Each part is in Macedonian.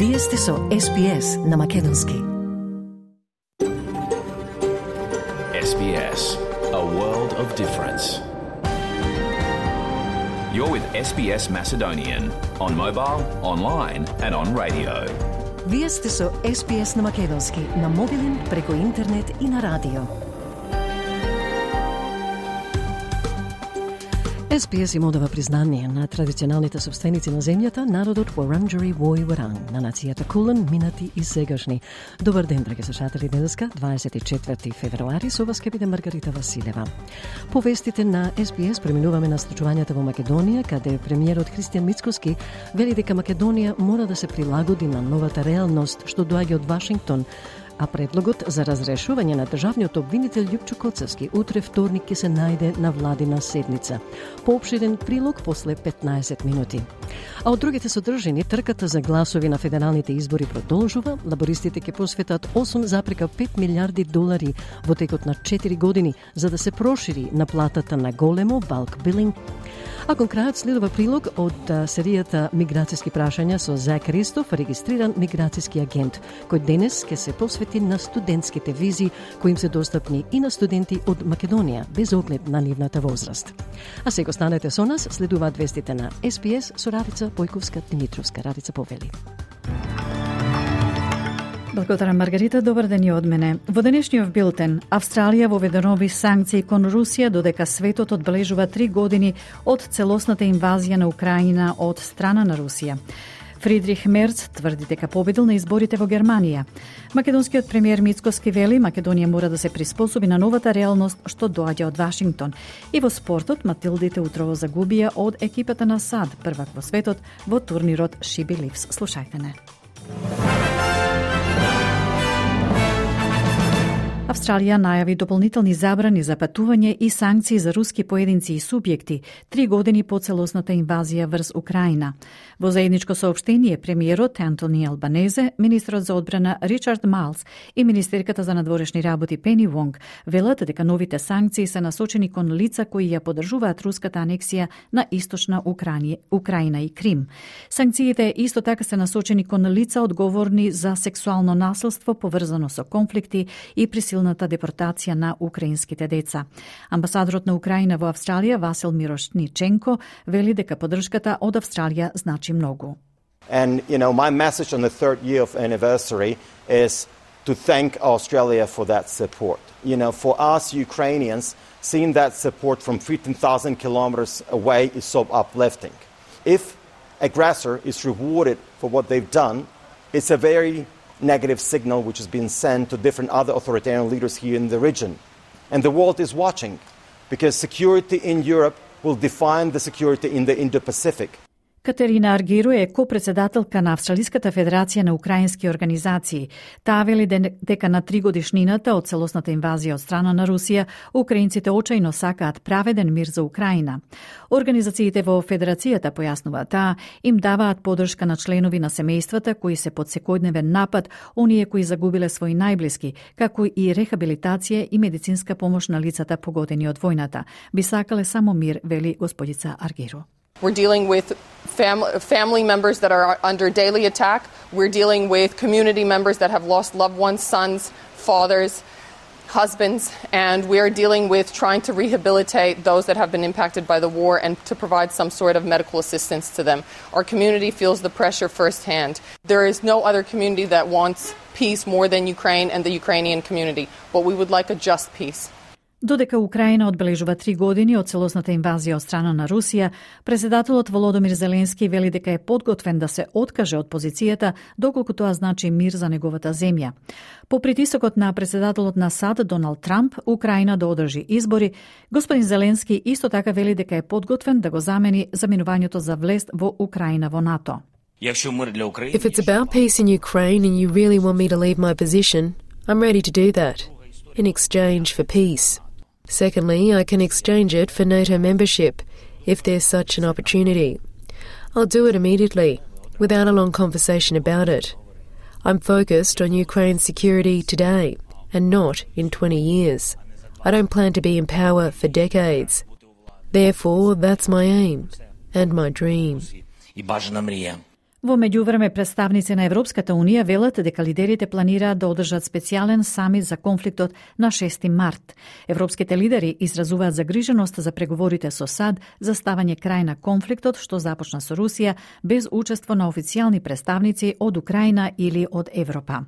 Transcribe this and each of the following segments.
Вие сте со SBS на Македонски. SBS, a world of difference. You're with SBS Macedonian on mobile, online and on radio. Вие сте со SBS на Македонски на мобилен, преку интернет и на радио. SBS им одава признание на традиционалните собственици на земјата, народот Вуранџари Вој Варанг, на нацијата Кулен, минати и сегашни. Добар ден, драги слушатели, денеска, 24 февруари, со вас ќе биде Маргарита Василева. По вестите на SBS преминуваме на случувањата во Македонија, каде премиерот Христијан Мицкоски вели дека Македонија мора да се прилагоди на новата реалност што доаѓа од Вашингтон, а предлогот за разрешување на државниот обвинител Љупчо Коцевски утре вторник ќе се најде на владина седница. Поопширен прилог после 15 минути. А од другите содржини, трката за гласови на федералните избори продолжува. Лабористите ќе посветат 8,5 милиарди долари во текот на 4 години за да се прошири наплатата на големо bulk billing. А кон крајот следува прилог од серијата Миграцијски прашања со Зак Ристоф, регистриран миграцијски агент, кој денес ќе се посвети на студентските визи кои им се достапни и на студенти од Македонија, без оглед на нивната возраст. А сега останете со нас, следуваат вестите на SBS со Радица Појковска-Димитровска. Радица повели. Благодарам, Маргарита. Добар ден и од мене. Во денешниот билтен, Австралија воведе нови санкции кон Русија додека светот одбележува 3 години од целосната инвазија на Украина од страна на Русија. Фридрих Мерц тврди дека победил на изборите во Германија. Македонскиот премиер Мицкоски вели Македонија мора да се приспособи на новата реалност што доаѓа од Вашингтон. И во спортот Матилдите утрово загубија од екипата на САД, првак во светот во турнирот She Believes. Слушајте не. Австралија најави дополнителни забрани за патување и санкции за руски поединци и субјекти 3 години по целосната инвазија врз Украина. Во заедничко соопштение премиерот Антони Албанезе, министрот за одбрана Ричард Майлс и министерката за надворешни работи Пени Вонг велат дека новите санкции се насочени кон лица кои ја поддржуваат руската анексија на источна Украина и Крим. Санкциите исто така се насочени кон лица одговорни за сексуално насилство поврзано со конфликти и присилната депортација на украинските деца. Амбасадорот на Украина во Австралија Васил Мирошниченко вели дека поддршката од Австралија значи многу. And my message on the third year of anniversary is to thank Australia for that support. For us Ukrainians, seeing that support from 15,000 kilometers away is so uplifting. If aggressor is rewarded for what they've done, it's a very negative signal which has been sent to different other authoritarian leaders here in the region. And the world is watching, because security in Europe will define the security in the Indo-Pacific. Катерина Аргиро е копредседателка на Австралиската федерација на украински организации. Таа вели дека на 3 годишнината од целосната инвазија од страна на Русија, украинците очајно сакаат праведен мир за Украина. Организациите во федерацијата, појаснува таа, им даваат поддршка на членови на семејствата кои се под секојдневен напад, оние кои загубиле своји најблиски, како и рехабилитација и медицинска помош на лицата погодени од војната. Би сакале само мир, вели господица Аргиро. We're dealing with family members that are under daily attack. We're dealing with community members that have lost loved ones, sons, fathers, husbands, and we are dealing with trying to rehabilitate those that have been impacted by the war and to provide some sort of medical assistance to them. Our community feels the pressure firsthand. There is no other community that wants peace more than Ukraine and the Ukrainian community, but we would like a just peace. Додека Украина одбележува 3 години од целосната инвазија од страна на Русија, председателот Володомир Зеленски вели дека е подготвен да се откаже од позицијата доколку тоа значи мир за неговата земја. По притисокот на председателот на САД Доналд Трамп, Украина да одржи избори, господин Зеленски исто така вели дека е подготвен да го замени заминувањето за влест во Украина во НАТО. If it's about peace in Ukraine and you really want me to leave my position, I'm ready to do that, in exchange for peace. Secondly, I can exchange it for NATO membership, if there's such an opportunity. I'll do it immediately, without a long conversation about it. I'm focused on Ukraine's security today, and not in 20 years. I don't plan to be in power for decades. Therefore, that's my aim, and my dream. Во меѓувреме, представници на Европската Унија велат дека лидерите планираат да одржат специјален самит за конфликтот на 6 март. Европските лидери изразуваат загриженост за преговорите со САД за ставање крај на конфликтот што започна со Русија без учество на официјални представници од Украина или од Европа.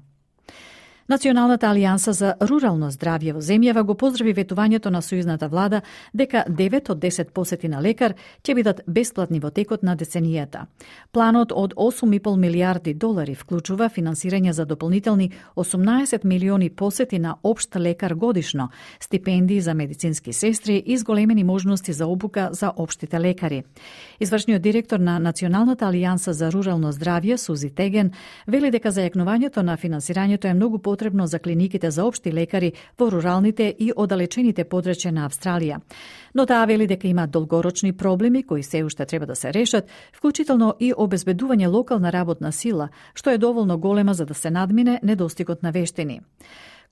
Националната алијанса за рурално здравје во земјава го поздрави ветувањето на сојузната влада дека 9 од 10 посети на лекар ќе бидат бесплатни во текот на деценијата. Планот од 8,5 милиарди долари вклучува финансирање за дополнителни 18 милиони посети на општ лекар годишно, стипендии за медицински сестри и зголемени можности за обука за општите лекари. Извршниот директор на Националната алијанса за рурално здравје, Сузи Теген, вели дека зајакнувањето на финансирањето е многу потребно за клиниките за општи лекари во руралните и оддалечените подрачја на Австралија. Но таа вели дека има долгорочни проблеми кои се уште треба да се решат, вклучително и обезбедување локална работна сила, што е доволно голема за да се надмине недостигот на вештини.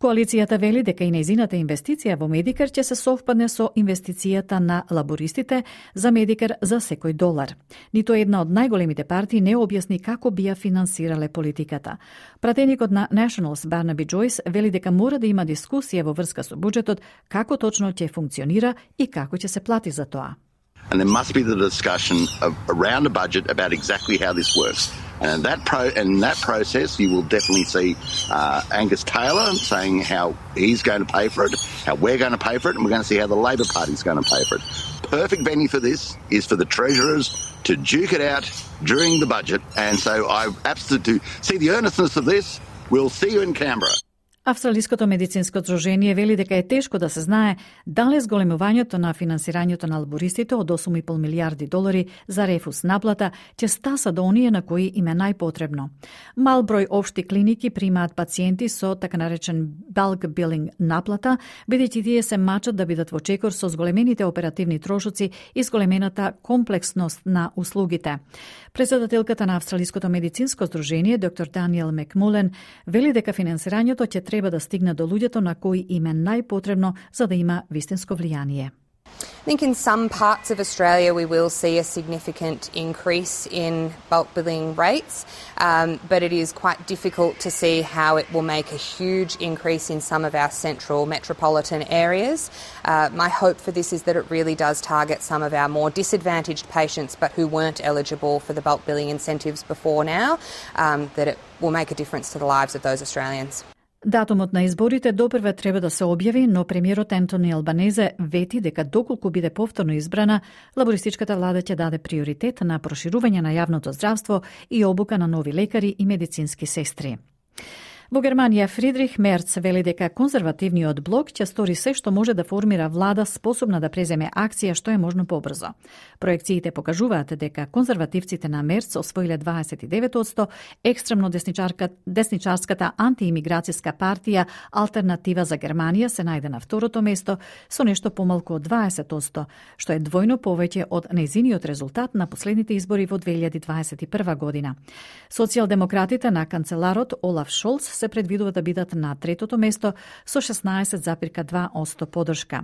Коалицијата вели дека и нејзината инвестиција во Медикер ќе се совпадне со инвестицијата на лабористите за Медикер за секој долар. Нито една од најголемите партии не објасни како би ја финансирале политиката. Пратеникот на Nationals Барнаби Джойс вели дека мора да има дискусија во врска со буџетот, како точно ќе функционира и како ќе се плати за тоа. And there must be the discussion around the budget about exactly how this works. And in that process, you will definitely see Angus Taylor saying how he's going to pay for it, how we're going to pay for it, and we're going to see how the Labor Party is going to pay for it. Perfect venue for this is for the Treasurers to duke it out during the budget. And so I absolutely see the earnestness of this. We'll see you in Canberra. Австралиското медицинско здружение вели дека е тешко да се знае дали зголемувањето на финансирањето на лабористите од 8,5 милиарди долари за рефус наплата ќе стаса до оние на кои им е најпотребно. Мал број општи клиники примаат пациенти со така наречен bulk billing наплата, бидејќи тие се мачат да бидат во чекор со зголемените оперативни трошоци и зголемената комплексност на услугите. Председателката на Австралиското медицинско здружение, доктор Даниел Мекмулен, вели дека финансирањето ќе треба да стигне до луѓето на кои им е најпотребно за да има вистинско влијание. I think in some parts of Australia we will see a significant increase in bulk billing rates, but it is quite difficult to see how it will make a huge increase in some of our central metropolitan areas. My hope for this is that it really does target some of our more disadvantaged patients but who weren't eligible for the bulk billing incentives before now, that it will make a difference to the lives of those Australians. Датумот на изборите допрва треба да се објави, но премиерот Ентони Албанезе вети дека доколку биде повторно избрана, лабористичката влада ќе даде приоритет на проширување на јавното здравство и обука на нови лекари и медицински сестри. Во Германија Фридрих Мерц вели дека конзервативниот блок ќе стори се што може да формира влада способна да преземе акција што е можно побрзо. Проекциите покажуваат дека конзервативците на Мерц освоиле 29%, екстремно десничарската антиимиграцијска партија Алтернатива за Германија се најде на второто место со нешто помалку од 20%, што е двојно повеќе од нејзиниот резултат на последните избори во 2021 година. Социјалдемократите на канцеларот Олаф Шолц се предвидува да бидат на третото место со 16,2% поддршка.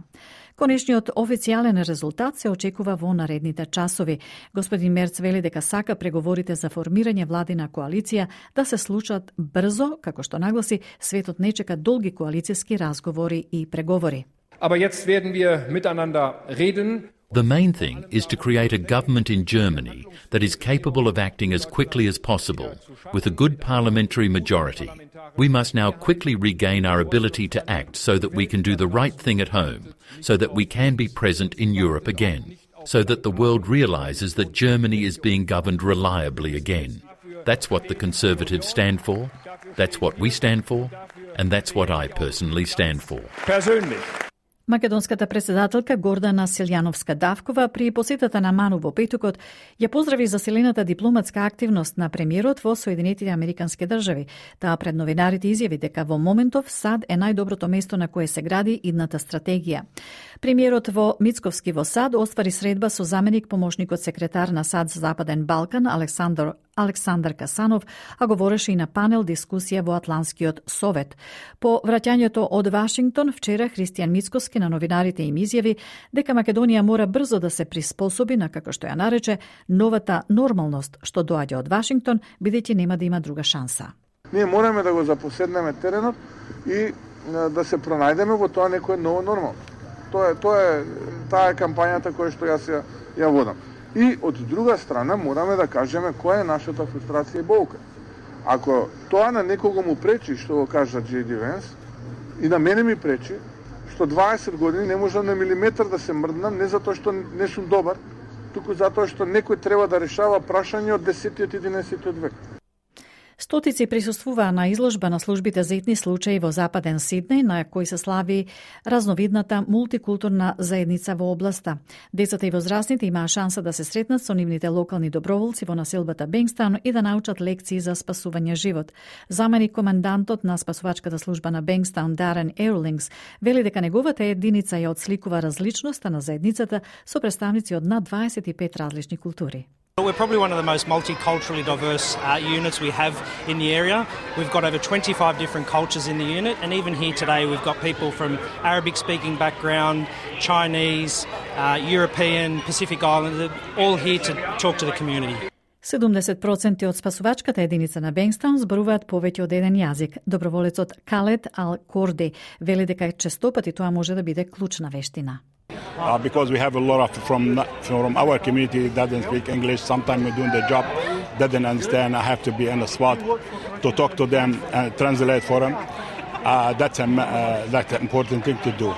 Конечниот официјален резултат се очекува во наредните часови. Господин Мерц вели дека сака преговорите за формирање владина коалиција да се случат брзо, како што нагласи, светот не чека долги коалицијски разговори и преговори. Aber jetzt werden wir miteinander reden. The main thing is to create a government in Germany that is capable of acting as quickly as possible, with a good parliamentary majority. We must now quickly regain our ability to act so that we can do the right thing at home, so that we can be present in Europe again, so that the world realises that Germany is being governed reliably again. That's what the Conservatives stand for, that's what we stand for, and that's what I personally stand for. Македонската председателка Гордана Силјановска-Давкова при посетата на Ману во петокот ја поздрави засилената дипломатска активност на премиерот во Соединетите Американски држави. Таа пред новинарите изјави дека во моментов САД е најдоброто место на кое се гради идната стратегија. Премиерот во Мицковски во САД оствари средба со заменик помошникот секретар на САД за Западен Балкан Александар Касанов, а говореше и на панел дискусија во Атлантскиот совет. По враќањето од Вашингтон, вчера Христијан Мицкоски на новинарите им изјави дека Македонија мора брзо да се приспособи на, како што ја нарече, новата нормалност што доаѓа од Вашингтон, бидејќи нема да има друга шанса. Ние мораме да го запоседнеме теренот и да се пронајдеме во тоа некое ново нормално. Таа е кампањата која што јас ја водам. И од друга страна мораме да кажеме која е нашата фрустрација и болка. Ако тоа на некого му пречи, што го кажа J.D. Vance, и на мене ми пречи, што 20 години не можам на милиметар да се мрднам, не затоа што не сум добар, туку затоа што некој треба да решава прашање од 10-тиот и 11-тиот век. Стотици присуствуваа на изложба на службите за итни случаи во Западен Сиднеј, на кој се слави разновидната мултикултурна заедница во областа. Децата и возрастните имаа шанса да се сретнат со нивните локални доброволци во населбата Бенгстаун и да научат лекции за спасување живот. Заменик командантот на спасувачката служба на Бенгстаун, Дарен Ерлингс, вели дека неговата единица ја отсликува различноста на заедницата со представници од над 25 различни култури. We're probably one of the most multiculturally diverse units we have in the area. We've got over 25 different cultures in the unit, and even here today we've got people from Arabic-speaking background, Chinese, European, Pacific Islander, all here to talk to the community. 70% од спасувачката единица на Бенгстаун зборуваат повеќе од еден јазик. Доброволецот Калет Ал-Корди вели дека честопати тоа може да биде клучна вештина. Because we have a lot from our community that doesn't speak English. Sometimes we're doing the job, doesn't understand. I have to be in the spot to talk to them and translate for them. That's an important thing to do.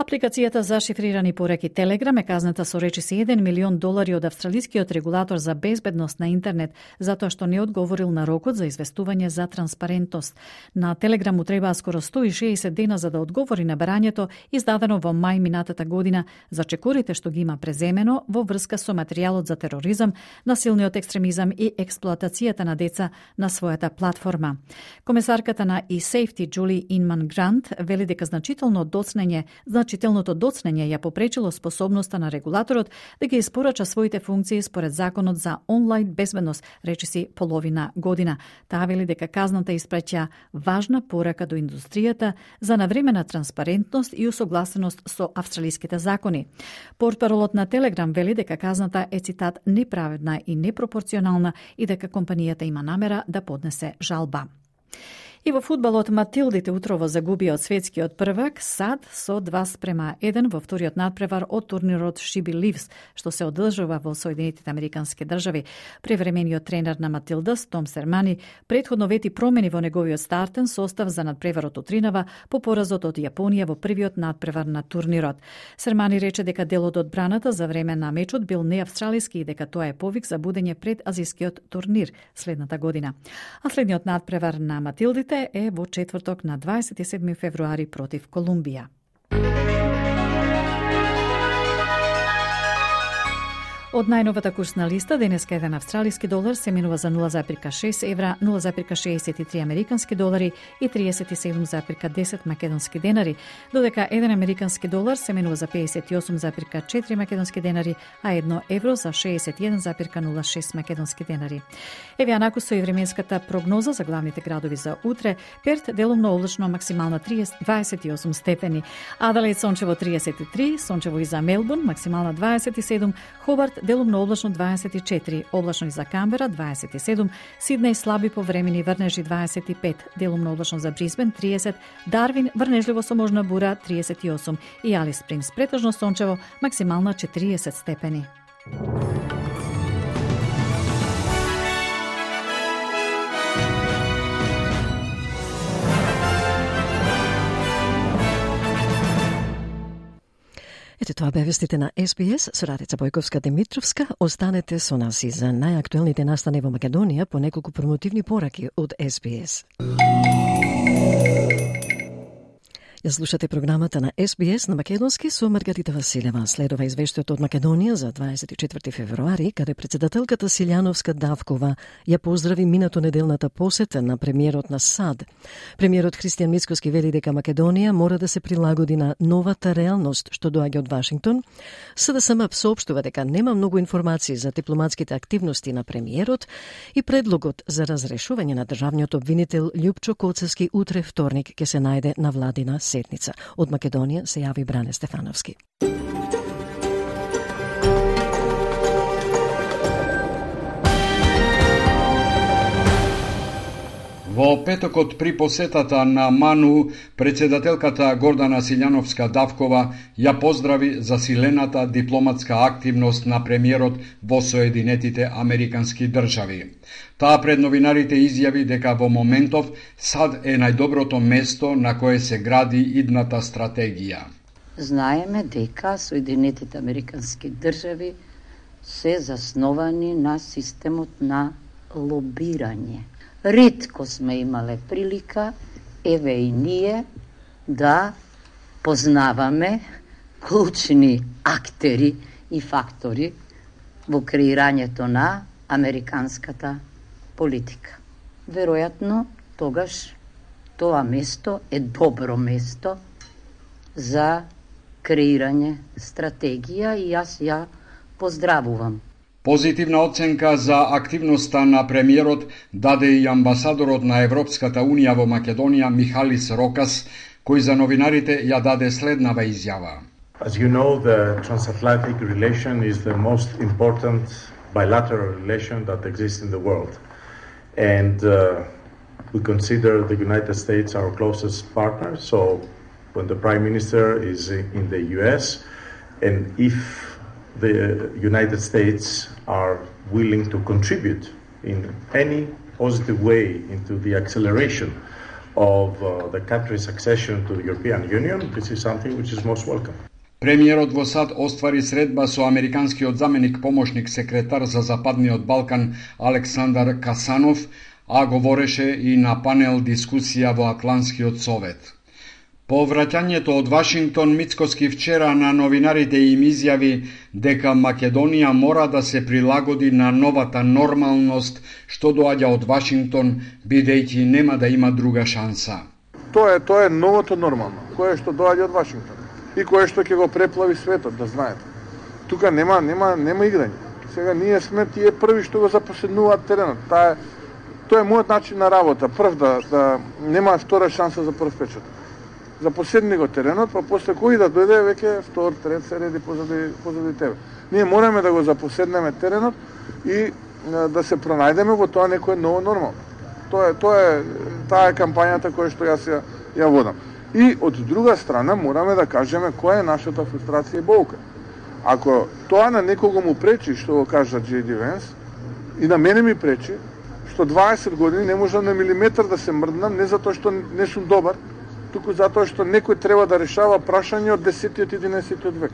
Апликацијата за шифрирани пораки Телеграм е казната со речиси $1 милион од австралискиот регулатор за безбедност на интернет затоа што не одговорил на рокот за известување за транспарентност. На Телеграм му требаа скоро 160 дена за да одговори на барањето издадено во мај минатата година за чекорите што ги има преземено во врска со материјалот за тероризам, насилниот екстремизам и експлоатацијата на деца на својата платформа. Комесарката на eSafety Джули Инман Грант вели дека значителното доцнење ја попречило способноста на регулаторот да ги испорача своите функции според законот за онлайн безбедност, речиси половина година. Таа вели дека казната испраќа важна порака до индустријата за навремена транспарентност и усогласеност со австралиските закони. Портпаролот на Телеграм вели дека казната е, цитат, неправедна и непропорционална и дека компанијата има намера да поднесе жалба. И во фудбалот Матилдите утрово загубија од светскиот првак САД со 2:1 во вториот надпревар од турнирот Шиби Ливс, што се одржува во Соединетите Американски држави. Превремениот тренер на Матилдас, Том Сермани, претходно вети промени во неговиот стартен состав за надпреварот утринава по поразот од Јапонија во првиот надпревар на турнирот. Сермани рече дека делот од браната за време на мечот бил неавстралиски и дека тоа е повик за будење пред азискиот турнир следната година. А следниот надпревар на Матилдите е во четврток на 27 февруари против Колумбија. Од најновата курсна листа, денеска еден австралиски долар се менува за 0,6 евра, 0,63 американски долари и 37,10 македонски денари, додека еден американски долар се менува за 58,4 македонски денари, а 1 евро за 61,06 македонски денари. Еве анаку со и временската прогноза за главните градови за утре: Перт делумно облачно, максимална 28 степени, Аделаид сончево 33, сончево и за Мелбурн, максимална 27, Хобарт делумно облачно 24, облачно и за Камбера 27, Сиднеј слаби повремени врнежи 25, делумно облачно за Брисбен 30, Дарвин врнежливо со можна бура 38 и Алис Спрингс претежно сончево, максимална 40 степени. Ете тоа бе вестите на SBS со Радица Бојковска-Димитровска. Останете со нас и за најактуелните настани во Македонија по неколку промотивни пораки од SBS. Ја слушате програмата на СБС на македонски со Маргарита Василева. Следува извештајот од Македонија за 24 февруари, каде председателката Силјановска Давкова ја поздрави минато неделната посета на премиерот на САД. Премиерот Христијан Мицкоски вели дека Македонија мора да се прилагоди на новата реалност што доаѓа од Вашингтон. СДСМ соопштува дека нема многу информации за дипломатските активности на премиерот и предлогот за разрешување на државниот обвинител Љупчо Коцевски утре вторник ќе се најде на владина седница. Од Македонија се јави Бране Стефановски. Во петокот при посетата на МАНУ, председателката Гордана Силјановска Давкова ја поздрави засилената дипломатска активност на премиерот во Соединетите Американски држави. Таа пред новинарите изјави дека во моментов САД е најдоброто место на кое се гради идната стратегија. Знаеме дека Соединетите Американски држави се засновани на системот на лобирање. Ретко сме имале прилика, еве и ние, да познаваме клучни актери и фактори во креирањето на американската политика. Веројатно, тогаш тоа место е добро место за креирање стратегија и јас ја поздравувам. Позитивна оценка за активноста на премиерот даде и амбасадорот на Европската Унија во Македонија Михалис Рокас, кој за новинарите ја даде следнава изјава. As you know, the transatlantic relation is the most important bilateral relation that exists in the world. And we consider the United States our closest partner. So when the Prime Minister is in the US, and if the United States are willing to contribute in any positive way into the acceleration of the country's accession to the European Union, this is something which is most welcome. Премиерот во САД оствари средба со американскиот заменик помошник секретар за Западниот Балкан Александар Касанов, а говореше и на панел дискусија во Атлантскиот совет. По враќањето од Вашингтон, Мицкоски вчера на новинарите им изјави дека Македонија мора да се прилагоди на новата нормалност што доаѓа од Вашингтон, бидејќи нема да има друга шанса. Тоа е новото нормално, кое што доаѓа од Вашингтон и кое што ќе го преплави светот, да знаете. Тука нема играње. Сега ние сме тие први што го запоседнуваат теренот. Тоа е мојот начин на работа. Прв да нема втора шанса за прв печат. Запоседни го теренот, па после кој да дојде веќе втор, трет се реди позади тебе. Ние мораме да го запоседнеме теренот и да се пронајдеме во тоа некое ново нормално. Таа е кампањата која што јас ја водам. И од друга страна мораме да кажеме која е нашата фрустрација и болка. Ако тоа на некого му пречи, што го кажа J.D. Vance, и на мене ми пречи, што 20 години не можам на милиметар да се мрднам, не затоа што не сум добар, туку затоа што некој треба да решава прашање од 10-тиот и 11-тиот век.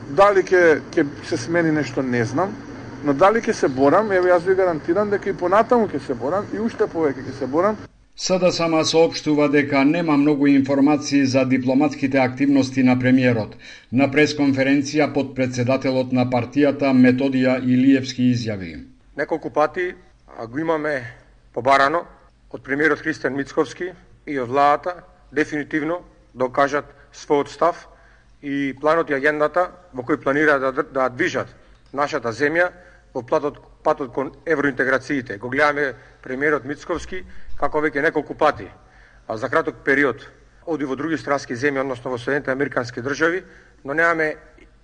Дали ќе се смени нешто, не знам, но дали ќе се борам, еве јас ви гарантирам дека и понатаму ќе се борам и уште повеќе ќе се борам. СДСМ соопштува дека нема многу информации за дипломатските активности на премиерот. На пресконференција под председателот на партијата Методија Илиевски изјави. Неколку пати го имаме побарано од премиерот Христијан Мицковски и од владата дефинитивно докажат својот став и планот и агендата во кој планира да движат нашата земја во патот кон евроинтеграциите. Го гледаме премиерот Мицковски како веќе неколку пати, а за краток период оди во други странски земји, односно во Соединетите Американски држави, но немаме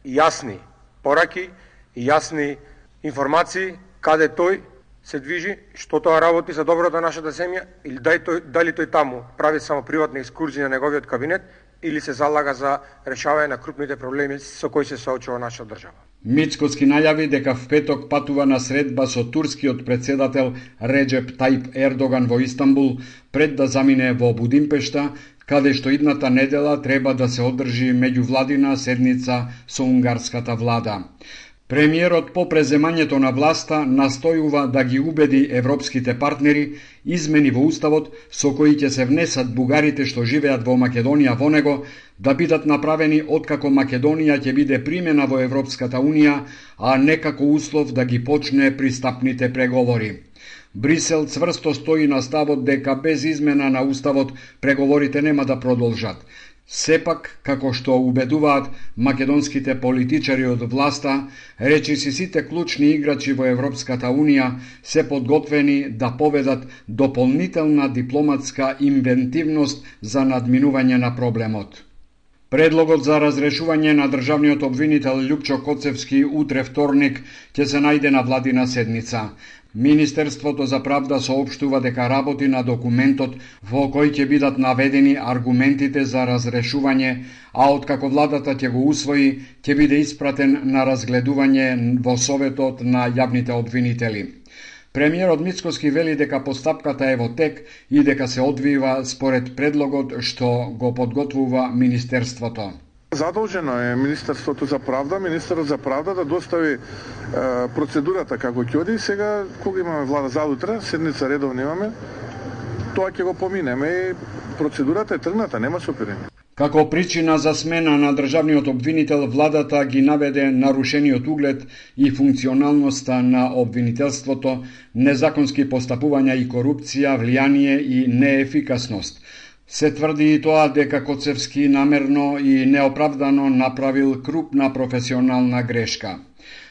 јасни пораки и јасни информации каде тој се движи, што тоа работи за доброто на нашата земја, или дали тој таму прави само приватни екскурзии на неговиот кабинет, или се залага за решавање на крупните проблеми со кои се соочува нашата држава. Мицкоски најави дека в петок патува на средба со турскиот председател Реджеп Тајип Ердоган во Истанбул, пред да замине во Будимпешта, каде што идната недела треба да се одржи меѓувладина седница со унгарската влада. Премиерот по преземањето на власта настојува да ги убеди европските партнери измени во уставот со кои ќе се внесат бугарите што живеат во Македонија во него да бидат направени откако Македонија ќе биде примена во Европската Унија, а не како услов да ги почне пристапните преговори. Брисел цврсто стои на ставот дека без измена на уставот преговорите нема да продолжат. Сепак, како што убедуваат македонските политичари од власта, речиси сите клучни играчи во Европската Унија се подготвени да поведат дополнителна дипломатска инвентивност за надминување на проблемот. Предлогот за разрешување на државниот обвинител Љупчо Коцевски утре вторник ќе се најде на владина седница. Министерството за правда соопштува дека работи на документот во кој ќе бидат наведени аргументите за разрешување, а откако владата ќе го усвои, ќе биде испратен на разгледување во Советот на јавните обвинители. Премиерот Мицкоски вели дека постапката е во тек и дека се одвива според предлогот што го подготвува Министерството. Задолжено е Министерството за правда, Министерот за правда да достави процедурата како ќе оди. Сега, кога имаме влада за утре, седница редовно имаме, тоа ќе го поминеме и процедурата е тргната, нема сопирение. Како причина за смена на државниот обвинител, владата ги наведе нарушениот углед и функционалноста на обвинителството, незаконски постапувања и корупција, влијание и неефикасност. Се тврди и тоа дека Коцевски намерно и неоправдано направил крупна професионална грешка.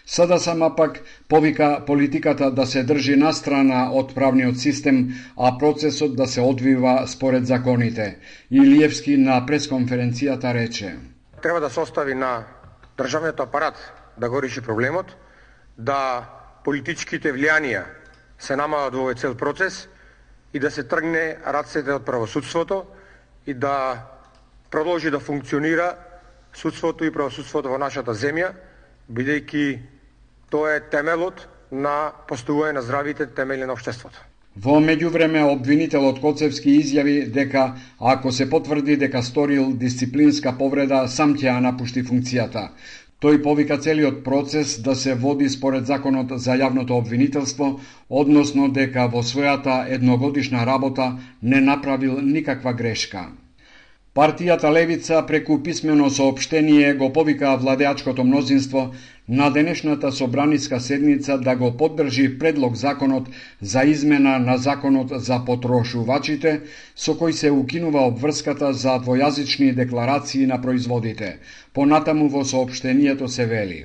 Сада сама пак повика политиката да се држи настрана од правниот систем, а процесот да се одвива според законите. Илиевски на пресконференцијата рече: Треба да се остави на државниот апарат да го реши проблемот, да политичките влијанија се намалат во овој цел процес и да се тргне рацете од правосудството и да продолжи да функционира судството и правосудството во нашата земја, бидејќи тоа е темелот на постојување на здравите темели на општеството. Во меѓувреме, обвинителот Коцевски изјави дека ако се потврди дека сторил дисциплинска повреда, сам ќе ја напушти функцијата. Тој повика целиот процес да се води според законот за јавното обвинителство, односно дека во својата едногодишна работа не направил никаква грешка. Партијата Левица преку писмено соопштение го повика владеачкото мнозинство на денешната собраниска седница да го поддржи предлог законот за измена на законот за потрошувачите, со кој се укинува обврската за двојазични декларации на производите. Понатаму во соопштението се вели: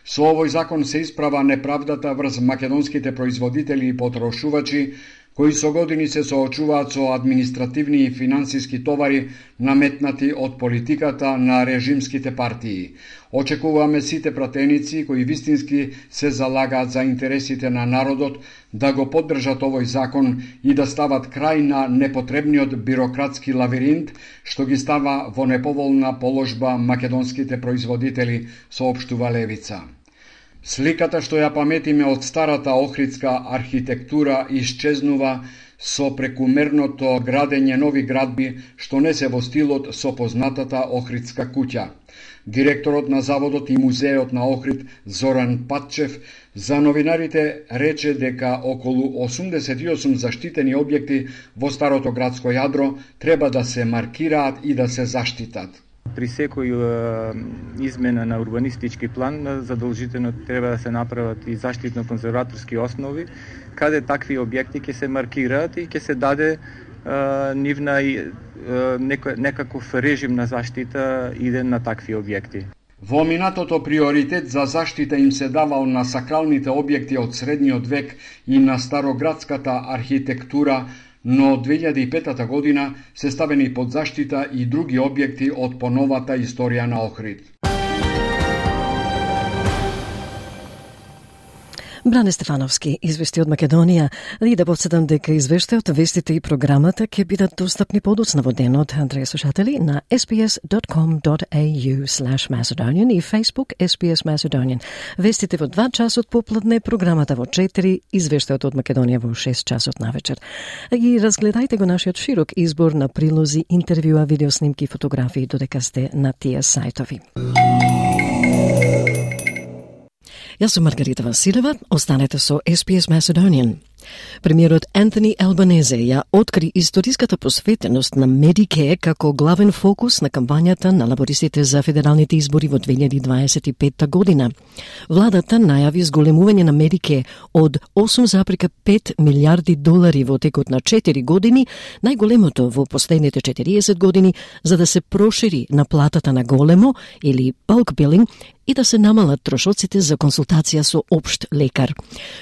со овој закон се исправа неправдата врз македонските производители и потрошувачи, кои со години се соочуваат со административни и финансиски товари наметнати од политиката на режимските партии. Очекуваме сите пратеници кои вистински се залагаат за интересите на народот да го поддржат овој закон и да стават крај на непотребниот бирократски лавиринт што ги става во неповолна положба македонските производители, соопштува Левица. Сликата што ја паметиме од старата охридска архитектура исчезнува со прекумерното градење нови градби што не се во стилот со познатата охридска куќа. Директорот на заводот и музеот на Охрид Зоран Патчев за новинарите рече дека околу 88 заштитени објекти во старото градско јадро треба да се маркираат и да се заштитат. При секој измена на урбанистички план задолжително треба да се направат и заштитно-конзерваторски основи, каде такви објекти ќе се маркираат и ќе се даде нивна некаков режим на заштита иден на такви објекти. Во минатото приоритет за заштита им се давал на сакралните објекти од средниот век и на староградската архитектура, но 2005 година се ставени под заштита и други објекти од поновата историја на Охрид. Бране Стефановски извести од Македонија и да подсетам дека извештајот, вестите и програмата ќе бидат достапни подоцна во денот, драги слушатели, на sbs.com.au/Macedonian и Facebook SBS Macedonian. Вестите во 2 часот попладне, програмата во 4, извештајот од Македонија во 6 часот навечер. И разгледајте го нашиот широк избор на прилози, интервјуа, видеоснимки, фотографии додека сте на тие сајтови. Јас сум Маргарита Василева, останете со SPS Macedonian. Премиерот Антони Албанезе ја откри историската посветеност на Medicare како главен фокус на кампањата на лабористите за федералните избори во 2025 година. Владата најави зголемување на Medicare од 8,5 милиарди долари во текот на 4 години, најголемото во последните 40 години, за да се прошири наплатата на големо или bulk billing и да се намалат трошоците за консултација со општ лекар.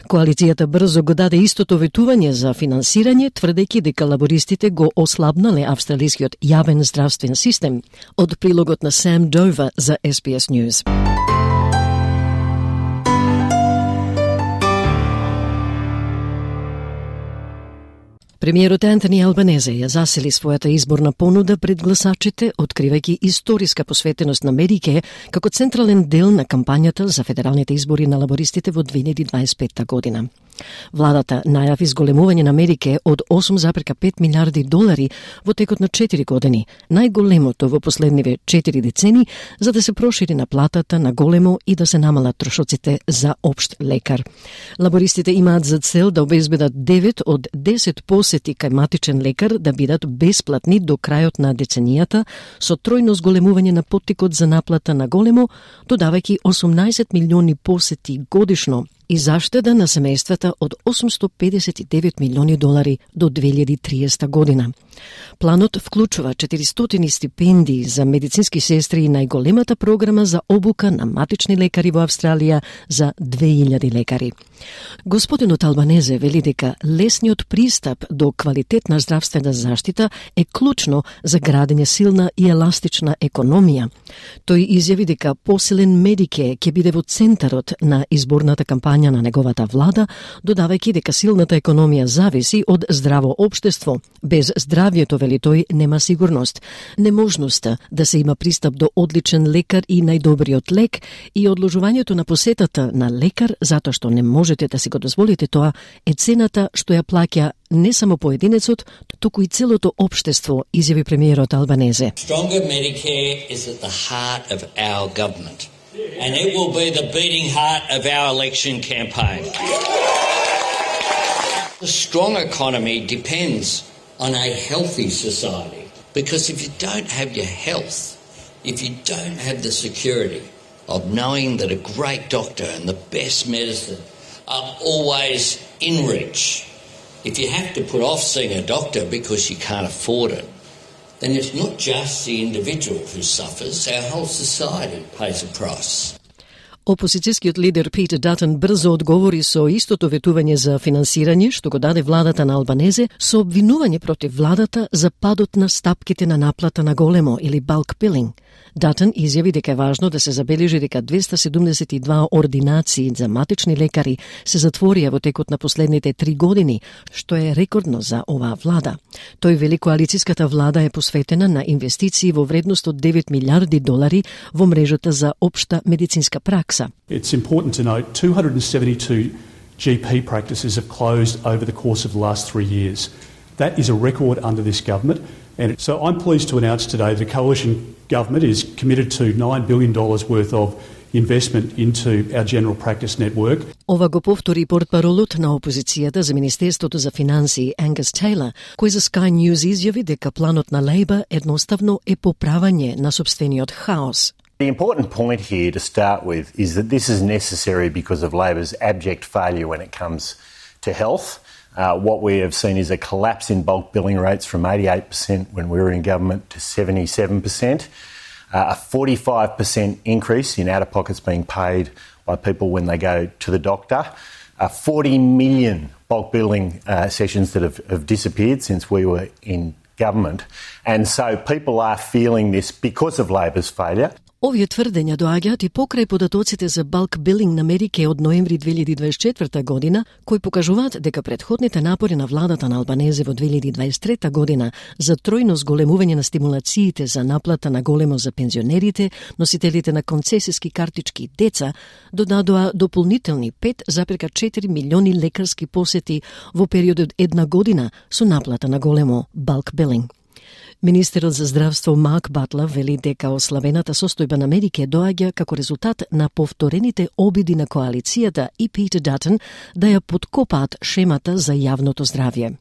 Коалицијата брзо го даде истото ветување за финансирање, тврдејќи дека лабористите го ослабнале австралискиот јавен здравствен систем. Од прилогот на Сам Дова за SBS News. Премиерот Антони Албанезе ја засили својата изборна понуда пред гласачите, откривајќи историска посветеност на Medicare како централен дел на кампањата за федералните избори на лабористите во 2025 година. Владата најави зголемување на Medicare од 8,5 милиарди долари во текот на 4 години, најголемото во последниве 4 децени, за да се прошири наплатата на големо и да се намалат трошоците за општ лекар. Лабористите имаат за цел да обезбедат 9 од 10 посети кај матичен лекар да бидат бесплатни до крајот на деценијата, со тројно зголемување на поттикот за наплата на големо, додавајќи 18 милиони посети годишно и заштеда на семејствата од 859 милиони долари до 2030 година. Планот вклучува 400 стипендии за медицински сестри и најголемата програма за обука на матични лекари во Австралија за 2000 лекари. Господинот Албанезе вели дека лесниот пристап до квалитетна здравствена заштита е клучно за градење силна и еластична економија. Тој изјави дека посилен Medicare ќе биде во центарот на изборната кампања на неговата влада, додавајќи дека силната економија зависи од здраво општество. Без здравјето, вели тој, нема сигурност. Неможноста да се има пристап до одличен лекар и најдобриот лек и одложувањето на посетата на лекар затоа што не можете да си го дозволите тоа е цената што ја плаќа не само поединецот, туку и целото општество, изјави премиерот Албанезе. Stronger Medicare is at the heart of our government. And it will be the beating heart of our election campaign. A strong economy depends on a healthy society. Because if you don't have your health, if you don't have the security of knowing that a great doctor and the best medicine are always in reach, if you have to put off seeing a doctor because you can't afford it, then it's not just the individual who suffers, our whole society pays a price. Опозицијскиот лидер Питер Датон брзо одговори со истото ветување за финансирање што го даде владата на Албанезе со обвинување против владата за падот на стапките на наплата на големо или bulk billing. Датон изјави дека е важно да се забележи дека 272 ординации за матични лекари се затворија во текот на последните 3 години, што е рекордно за оваа влада. Тој вели коалицијската влада е посветена на инвестиции во вредност од 9 милиарди долари во мрежата за општа медицинска пракса. It's important to note 272 GP practices have closed over the course of the last 3 years. That is a record under this government. And so I'm pleased to announce today the coalition government is committed to $9 billion worth of investment into our general practice network. Ова го повтори портпаролот на опозицијата за Министерството за финансии Ангус Тейлор, кој за Sky News изјави дека планот на Лейбар едноставно е поправање на собствениот хаос. The important point here to start with is that this is necessary because of Labor's abject failure when it comes to health. What we have seen is a collapse in bulk billing rates from 88% when we were in government to 77%. A 45% increase in out-of-pockets being paid by people when they go to the doctor. 40 million bulk billing sessions that have disappeared since we were in government. And so people are feeling this because of Labor's failure. Овие тврдења доаѓаат и покрај податоците за bulk billing на Medicare од ноември 2024 година, кои покажуваат дека претходните напори на владата на Албанезе во 2023 година за тројно зголемување на стимулациите за наплата на големо за пензионерите, носителите на концесиски картички и деца, додадоа дополнителни 5,4 милиони лекарски посети во период од една година со наплата на големо bulk billing. Министерот за здравство Марк Батлер вели дека ослабената состојба на Медикеј доаѓа како резултат на повторените обиди на коалицијата и Питер Датон да ја подкопаат шемата за јавното здравје.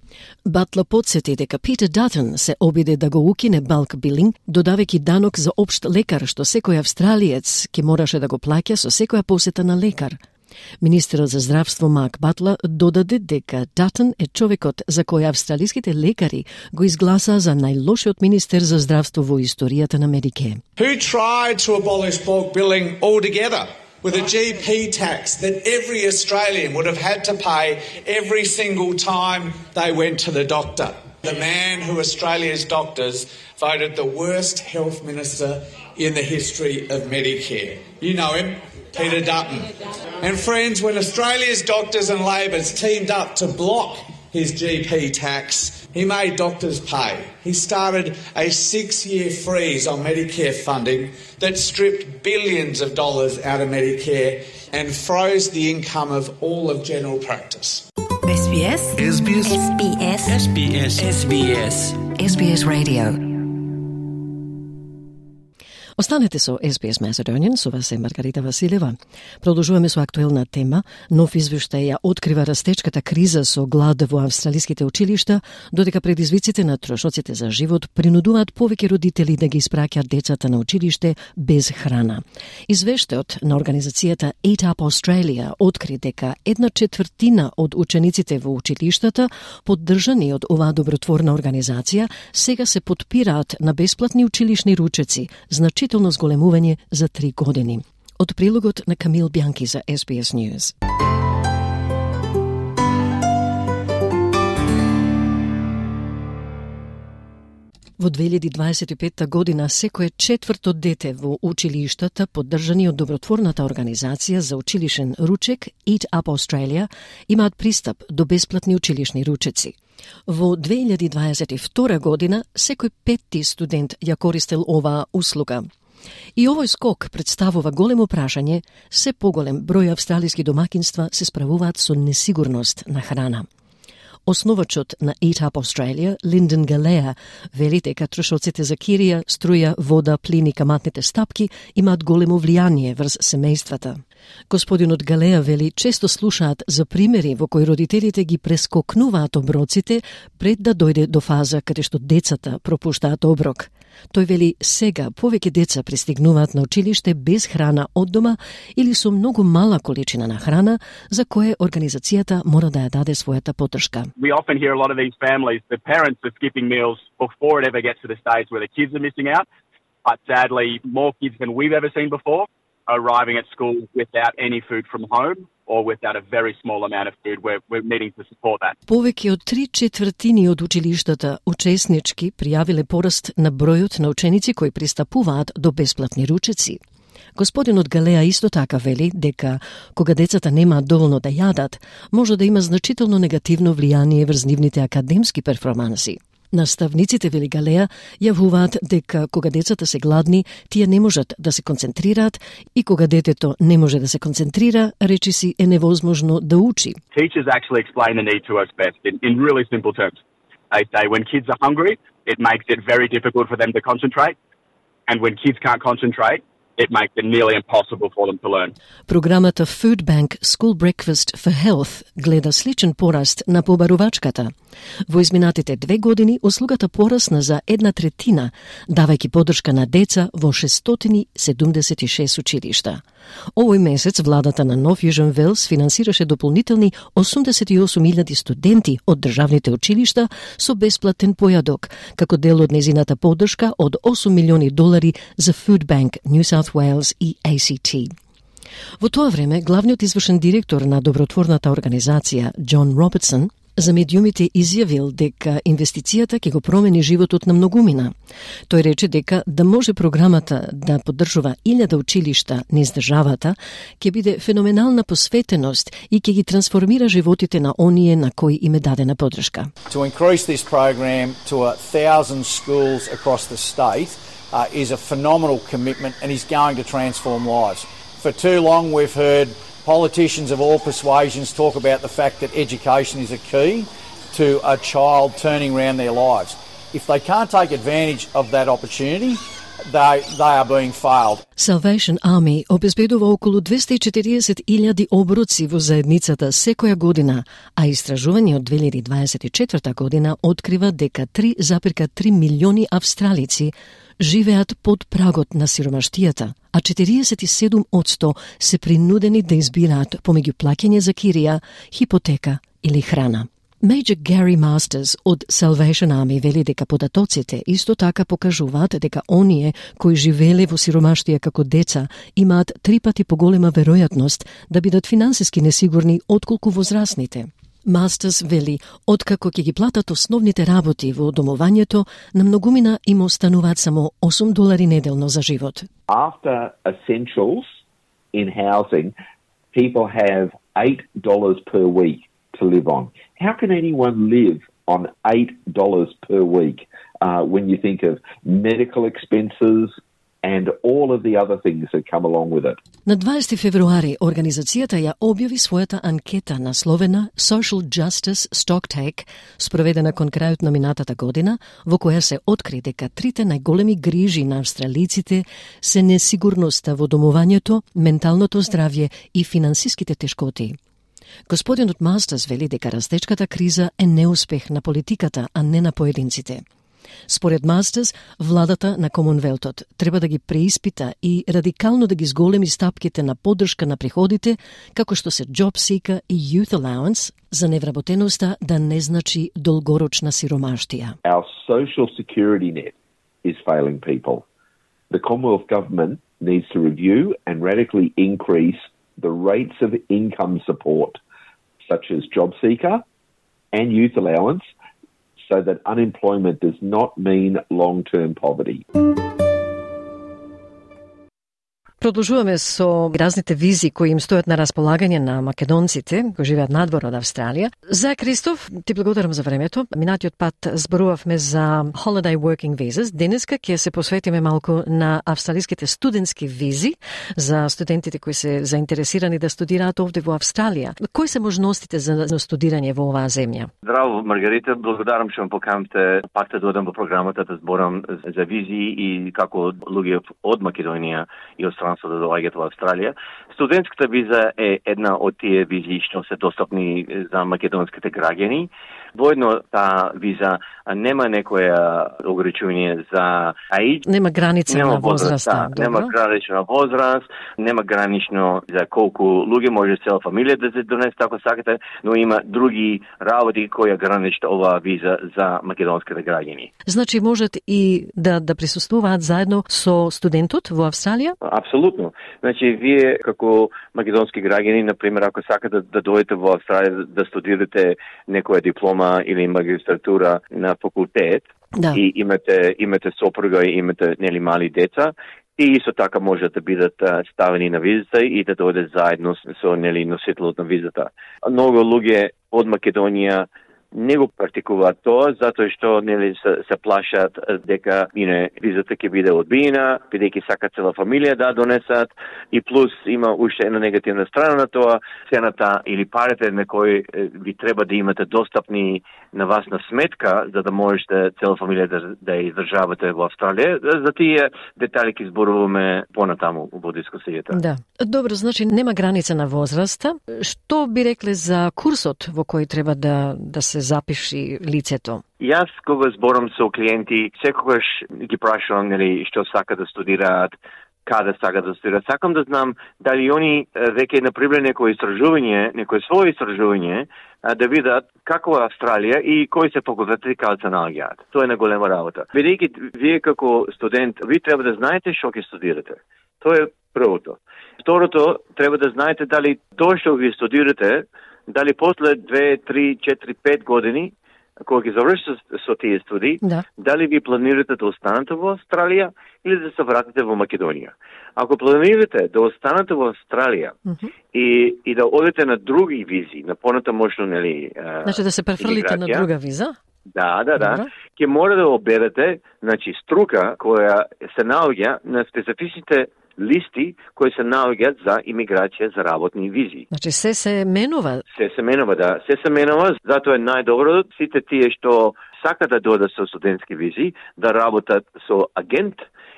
Батлер потсети дека Питер Датон се обиде да го укине bulk billing, додавајќи данок за општ лекар што секој австралиец ќе мораше да го плаќа со секоја посета на лекар. Министерот за здравство Марк Батлер додаде дека Датон е човекот за кој австралиските лекари го изгласаа за најлошиот министер за здравство во историјата на Медикеј. Who tried to abolish bulk billing altogether with a GP tax that every Australian would have had to pay every single time they went to the doctor. The man who Australia's doctors voted the worst health minister in the history of Medicare. You know him. Peter Dutton. And friends, when Australia's doctors and Labor's teamed up to block his GP tax, he made doctors pay. He started a 6-year freeze on Medicare funding that stripped billions of dollars out of Medicare and froze the income of all of general practice. SBS. SBS. SBS. SBS. SBS. SBS Radio. Останете со SBS Macedonian, со вас е Маргарита Василева. Продолжуваме со актуелна тема. Нов извештај ја открива растечката криза со глад во австралиските училишта, додека предизвиците на трошоците за живот принудуваат повеќе родители да ги испраќаат децата на училиште без храна. Извештајот на организацијата Eat Up Australia откри дека 1/4 од учениците во училиштата, поддржани од оваа добротворна организација, сега се потпираат на бесплатни училишни ручеци, значително зголемување за 3 години. Од прилогот на Камил Бјанки за SBS News. Во 2025 година секое 4-то дете во училиштата, поддржани од добротворната организација за училишен ручек Eat Up Australia, имаат пристап до бесплатни училишни ручеци. Во 2022 година секој 5-ти студент ја користел оваа услуга. И овој скок представува големо прашање, се поголем број австралиски домакинства се справуваат со несигурност на храна. Основачот на Eat Up Australia, Lyndon Galea, вели дека трошоците за кирија, струја, вода, плин и каматните стапки имаат големо влијание врз семејствата. Господинот Галеа вели често слушаат за примери во кои родителите ги прескокнуваат оброците пред да дојде до фаза каде што децата пропуштаат оброк. Тој вели сега повеќе деца пристигнуваат на училиште без храна од дома или со многу мала количина на храна, за кое организацијата мора да ја даде својата поддршка. We often hear a lot of these families, the parents are skipping meals before it ever gets to the stage where the kids are missing out. But sadly, more kids than we've ever seen before are arriving at school without any food from home or without a very small amount of food. We're needing to support that. Повеќе од 3/4 од училиштата учеснички пријавиле пораст на бројот на ученици кои пристапуваат до бесплатни ручеци. Господинот Галеа исто така вели дека кога децата немаат доволно да јадат, може да има значително негативно влијание врз нивните академски перформанси. Наставниците, вели Галеа, јавуваат дека кога децата се гладни, тие не можат да се концентрираат и кога детето не може да се концентрира, речиси е невозможно да учи. Teachers actually explain the need to us best in really simple terms. They say when kids are hungry, it makes it very difficult for them to concentrate, and when kids can't concentrate, it makes it nearly impossible for them to learn. Програмата Food Bank School Breakfast for Health гледа сличен пораст на побарувачката. Во изминатите 2 години услугата порасна за 1/3, давајќи поддршка на деца во 676 училишта. Овој месец владата на Нов Јужен Велс финансираше дополнителни 88.000 студенти од државните училишта со бесплатен појадок, како дел од незината поддршка од $8 милиони за Food Bank New South Wales и ACT. Во тоа време, главниот извршен директор на добротворната организација, Џон Робертсон, за медиумите изјавил дека инвестицијата ќе го промени животот на многумина. Тој рече дека да може програмата да поддржува 1000 училишта низ државата, ќе биде феноменална посветеност и ќе ги трансформира животите на оние на кои им е дадена поддршка. To increase this program to 1,000 schools across the state is a phenomenal commitment and is going to transform lives. For too long we've heard politicians of all persuasions talk about the fact that education is a key to a child turning around their lives. If they can't take advantage of that opportunity, they are being failed. Salvation Army обезбедува околу 240.000 оброци во заедницата секоја година, а истражување од 2024 година открива дека 3,3 милиони австралици живеат под прагот на сиромаштијата, а 47% се принудени да избираат помеѓу плаќање за кирија, хипотека или храна. Major Gary Masters од Salvation Army вели дека податоците исто така покажуваат дека оние кои живееле во сиромаштија како деца имаат 3 пати поголема веројатност да бидат финансиски несигурни отколку возрастните. Masters вели, откако ќе ги платат основните работи во домувањето, на многумина им остануваат само $8 неделно за живот. After essentials in housing, people have $8 per week to live on. How can anyone live on $8 per week when you think of medical expenses and all of the other things that come along with it? На 20 февруари организацијата ја објави својата анкета насловена Social Justice Stocktake, спроведена кон крајот на минатата година, во која се откри дека трите најголеми грижи на австралиците се несигурноста во домувањето, менталното здравје и финансиските тешкоти. Господинот Мастers вели дека растечката криза е неуспех на политиката, а не на поединците. Според Мастers, владата на Комонвелтот треба да ги преиспита и радикално да ги зголеми стапките на поддршка на приходите, како што се Job Seeker и Youth Allowance, за невработеноста да не значи долгорочна сиромаштија. Our social security net is failing people. The Commonwealth Government needs to review and radically increase the rates of income support, such as Job Seeker and Youth Allowance, so that unemployment does not mean long-term poverty. Продолжуваме со разните визи кои им стојат на располагање на македонците кои живеат надвор од Австралија. За Кристоф, ти благодарам за времето. Минатиот пат зборувавме за Holiday Working Visas. Денеска ќе се посветиме малку на австралиските студентски визи за студентите кои се заинтересирани да студираат овде во Австралија. Кои се можностите за студирање во оваа земја? Здраво, Маргарита, благодарам што ме поканавте пак да додам во програмата да зборам за визи и како луѓе од Македонија и од да доаѓаат во Австралија. Студентската виза е една од тие визи што се достапни за македонските граѓани. Воедно таа виза нема некоја ограничување за age. Нема граница на возраста. Нема гранична возраст, нема гранично за колку луѓе може цела фамилија да се донесе ако сакате, но има други работи кои граничат оваа виза за македонските граѓани. Значи можат и да присуствуваат заедно со студентот во Австралија? Апсолутно. Значи вие како македонски граѓани, например, ако сакате да дојдете во Австралија да студирате некоја диплома или магистратура на факултет и имате сопруга и имате нели мали деца, и исто така може да бидат ставени на визата и да дојдат заедно со нели носителот на визата. Многу луѓе од Македонија не го практикуваат тоа, затоа што нели се плашат дека визата ќе биде одбиена, бидејќи сакат цела фамилија да донесат, и плюс има уште една негативна страна на тоа, цената или парите на кои ви треба да имате достапни на вас на сметка, за да можете цела фамилија да ја издржавате во Австралија. За тие детали ќе зборуваме понатаму во дискусијата. Да. Добро, значи нема граница на возраста. Што би рекле за курсот во кој треба да се запиши лицето? Јас кога зборам со клиенти, секогаш ги прашувам нели што сака да студираат, каде сака да студираат. Сакам да знам дали они веќе направиле некое свое истражување, да видат како е Австралија и кои се факултети каде се наоѓаат. Тоа е на голема работа. Бидејќи вие како студент, ви треба да знаете што ќе студирате. Тоа е првото. Второто, треба да знаете дали тоа што ви студирате, дали после 2, 3, 4, 5 години, кога ги завршите со тие студии, дали ви планирате да останете во Австралија или да се вратите во Македонија. Ако планирате да останете во Австралија и да одите на други визи, на понатамошно нели значи да се префрлите на друга виза? Да. Ќе мора да оберете, значи струка која се наоѓа на специфичните листи кои се наоѓаат за имиграција за работни визи. Значи се менува? Се менува, да. Се менува, затоа е најдобро сите тие што сака да дојдат со студентски визи, да работат со агент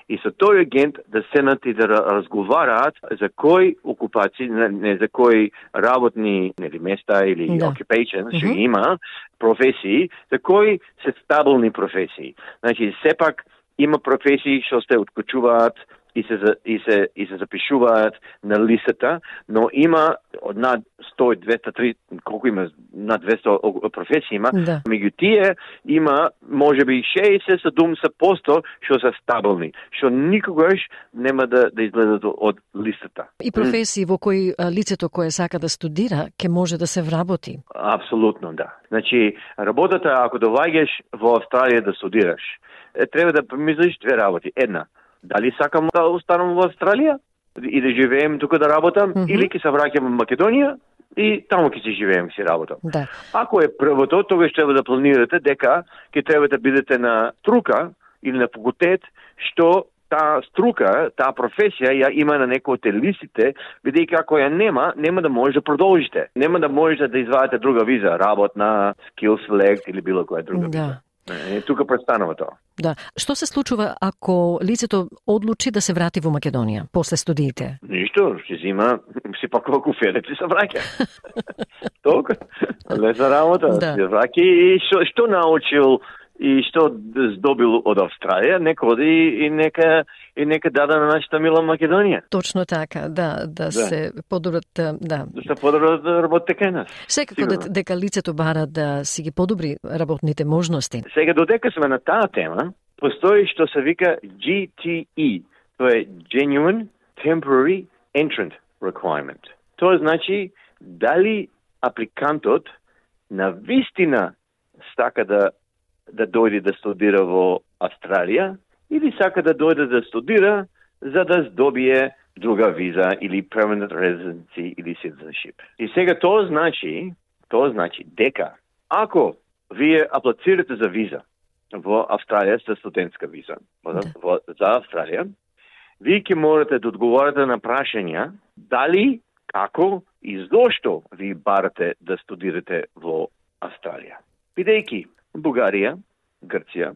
и со тој агент да седнат и да разговараат за кои окупации, не за кои работни места или occupations што има, професии, за кои се стабилни професии. Значи, сепак има професии што се откочуваат и се запишуваат на листата, но има над 100, 200, 300, колку има, над 200 професии има, меѓу тие има можеби 60-70% што се стабилни, што никогаш нема да излезат од листата. И професии во кои лицето кое сака да студира ќе може да се вработи. Апсолутно, да. Значи, работата, ако доаѓаш во Австралија да студираш, треба да помислиш две работи. Една, дали сакам да останам во Австралија и да живеем тука да работам, или ќе се враќам во Македонија и таму ќе си живеем, си работам. Да. Ако е првото, тогаш треба да планирате дека ќе треба да бидете на струка или на факултет, што таа струка, таа професија ја има на некој од листите, бидејќи ако ја нема да може да продолжите. Нема да можете да извадите друга виза, работна, skill select или било која друга виза. Тука престанува тоа. Да. Што се случува ако лицето одлучи да се врати во Македонија после студиите? Ништо, ќе зима, си пакува куферет и се враќа. Толку. Лесна работа. Се враќа и што научил и што здобил од Австралија, нека оди и нека даде на нашата мила Македонија. Точно така, да се подобрат, да. Да се подобрат работите кај нас. Секако дека лицето бара да си ги подобри работните можности. Сега додека сме на таа тема, постои што се вика GTE, тоа е Genuine Temporary Entrant Requirement. Тоа значи дали апликантот на вистина сака да дојде да студира во Австралија или сака да дојде да студира за да здобие друга виза или permanent residency или citizenship. И сега тоа значи дека ако вие аплицирате за виза во Австралија, за студентска виза за Австралија, вие ќе можете да одговорите на прашања дали, како и зошто ви барате да студирате во Австралија. Бидејќи Бугарија, Грција,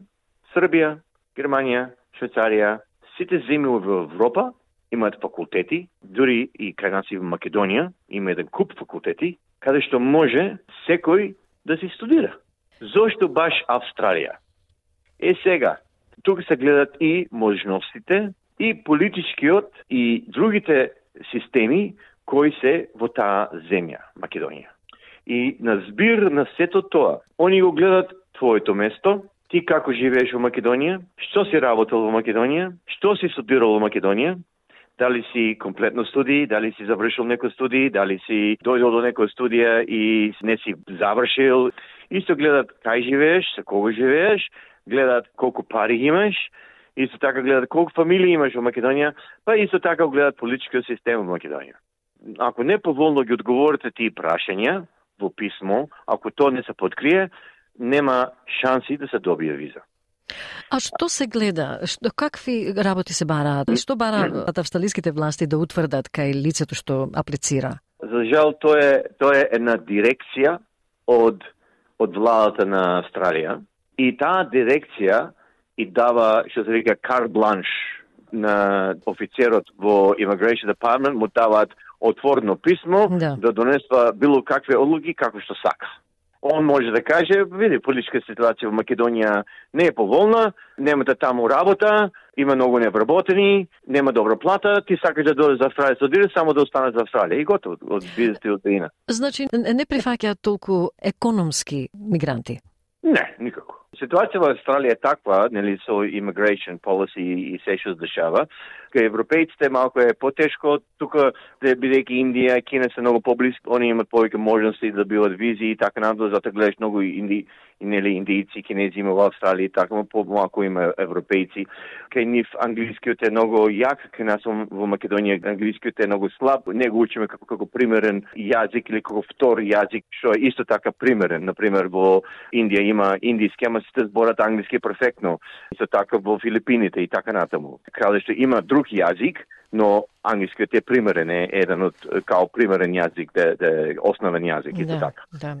Србија, Германија, Швајцарија, сите земји во Европа имаат факултети, дури и кај нас и во Македонија има еден куп факултети, каде што може секој да се студира. Зошто баш Австралија? Сега, тука се гледат и можностите, и политичкиот, и другите системи кои се во таа земја, Македонија. И на збир на сето тоа, они го гледат твоето место, ти како живееш во Македонија, што си работел во Македонија, што си студирал во Македонија, дали си комплетно студии, дали си завршил некој студии, дали си дојдол до некоја студија и не си завршил. Исто гледат кај живееш, со кого живееш, гледат колку пари имаш, исто така гледат колку фамилии имаш во Македонија, па исто така гледат политичкиот систем во Македонија. Ако не поволно ги одговорите тие прашања во писмо, ако тоа не се подкрие, нема шанси да се добие виза. А што се гледа? Какви работи се бараат? И што бараат австралиските власти да утврдат кај лицето што аплицира? За жал, тоа е една дирекција од владата на Австралија. И таа дирекција и дава, што се вика, карт бланш на офицерот во Immigration Department, му даваат отворено писмо да донесва било какви одлуки како што сака. Он може да каже, види, политичка ситуација во Македонија не е поволна, немате таму работа, има многу невработени, нема добра плата, ти сакаш да дојдеш за Австралија, студира само да останеш за Австралија и готово, од бизнес и од дејна. Значи, не прифаќаат толку економски мигранти? Не, никако. Ситуација во Австралија е таква, нели, со immigration policy и се што се дешава, кај европејците малку е потешко, тука бидејќи Индија и Кина се многу поблиску, они имаат повеќе можности да добиваат визи и така надолу, затоа гледаш многу индијци, кинези има во Австралија, така помалку има европејци. Кај нив англискиот е многу јак, кај нас во Македонија англискиот е многу слаб, не го учиме како примерен јазик или како втор јазик, што е исто така примерен. Например, во Индија има индиски, ама дома сите зборат англиски перфектно. Исто така во Филипините и така натаму. Краljevство има друг јазик, но англискиот е примерен, е еден од као примерен јазик, да основен јазик и така. Да,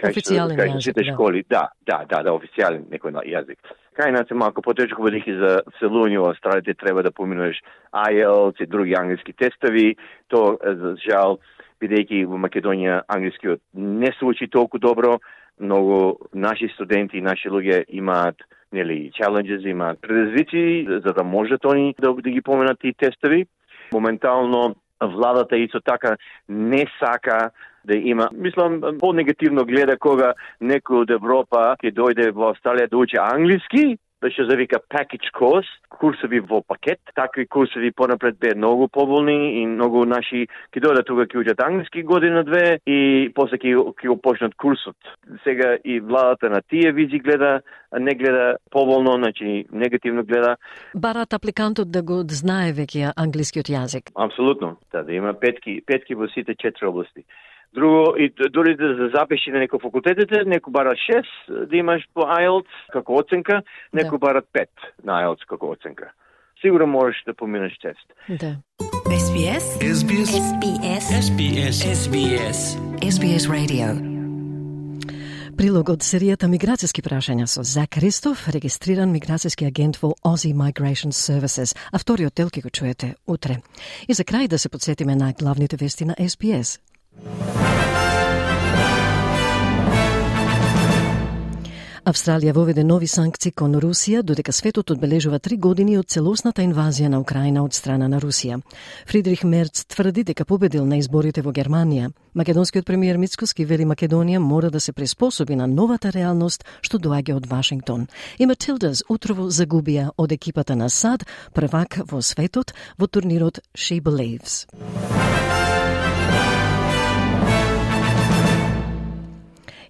официјален јазик. Сите школи, да, официјален некој јазик. Кај нас е малку потешко, бидејќи за селување во Австралија треба да поминеш IELTS и други англиски тестови. То, за жал, бидејќи во Македонија англискиот не се учи толку добро, многу наши студенти и наши луѓе имаат challenges, имаат предизвици за да можат они да ги поменат тие тестови. Моментално владата исто така не сака да има, мислам, по-негативно гледа кога некој од Европа ќе дојде во Австралија да учи англиски, да што завика package course, курсови во пакет. Такви курсови понапред бе многу поволни и многу наши ќе дојдат тука ќе учат англиски година-две и после ќе го почнат курсот. Сега и владата на тие визи гледа, не гледа поволно, значи негативно гледа. Барат апликантот да го знае веќе англискиот јазик. Апсолутно, да има петки во сите 4 области. Друго, и дори да запиши на некој факултетите, некој бара 6 да имаш по IELTS како оценка, некој бара 5 на IELTS како оценка. Сигурно можеш да поминеш тест. Да. SBS Radio. Прилог од серијата Миграцијски прашања со Зак Ристов, регистриран миграцијски агент во Aussie Migration Services, а вториот дел ќе го чуете утре. И за крај да се подсетиме на главните вести на SBS. Австралија воведе нови санкции кон Русија, додека светот одбележува 3 години од целосната инвазија на Украина од страна на Русија. Фридрих Мерц тврди дека победил на изборите во Германија. Македонскиот премиер Мицкоски вели Македонија мора да се приспособи на новата реалност што доаѓа од Вашингтон. И Матилдас утрово загубија од екипата на САД, првак во светот во турнирот She Believes.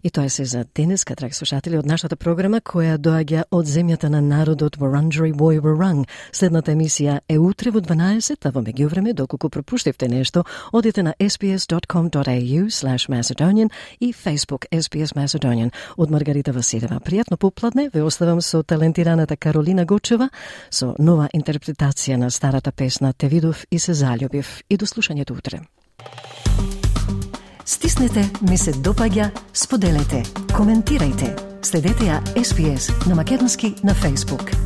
И тоа се за денеска, драги слушатели, од нашата програма која доаѓа од земјата на народот Wurundjeri Woi Wurrung. Следната емисија е утре во 12, а во меѓувреме, доколку пропуштивте нешто, одите на sbs.com.au/Macedonian и Facebook SBS Macedonian. Од Маргарита Василева. Пријатно попладне, ве оставам со талентираната Каролина Гочева со нова интерпретација на старата песна Те видов и се заљубив. И до слушањето утре. Стиснете, ми се допаѓа, споделете, коментирајте. Следете ја SBS на македонски на Facebook.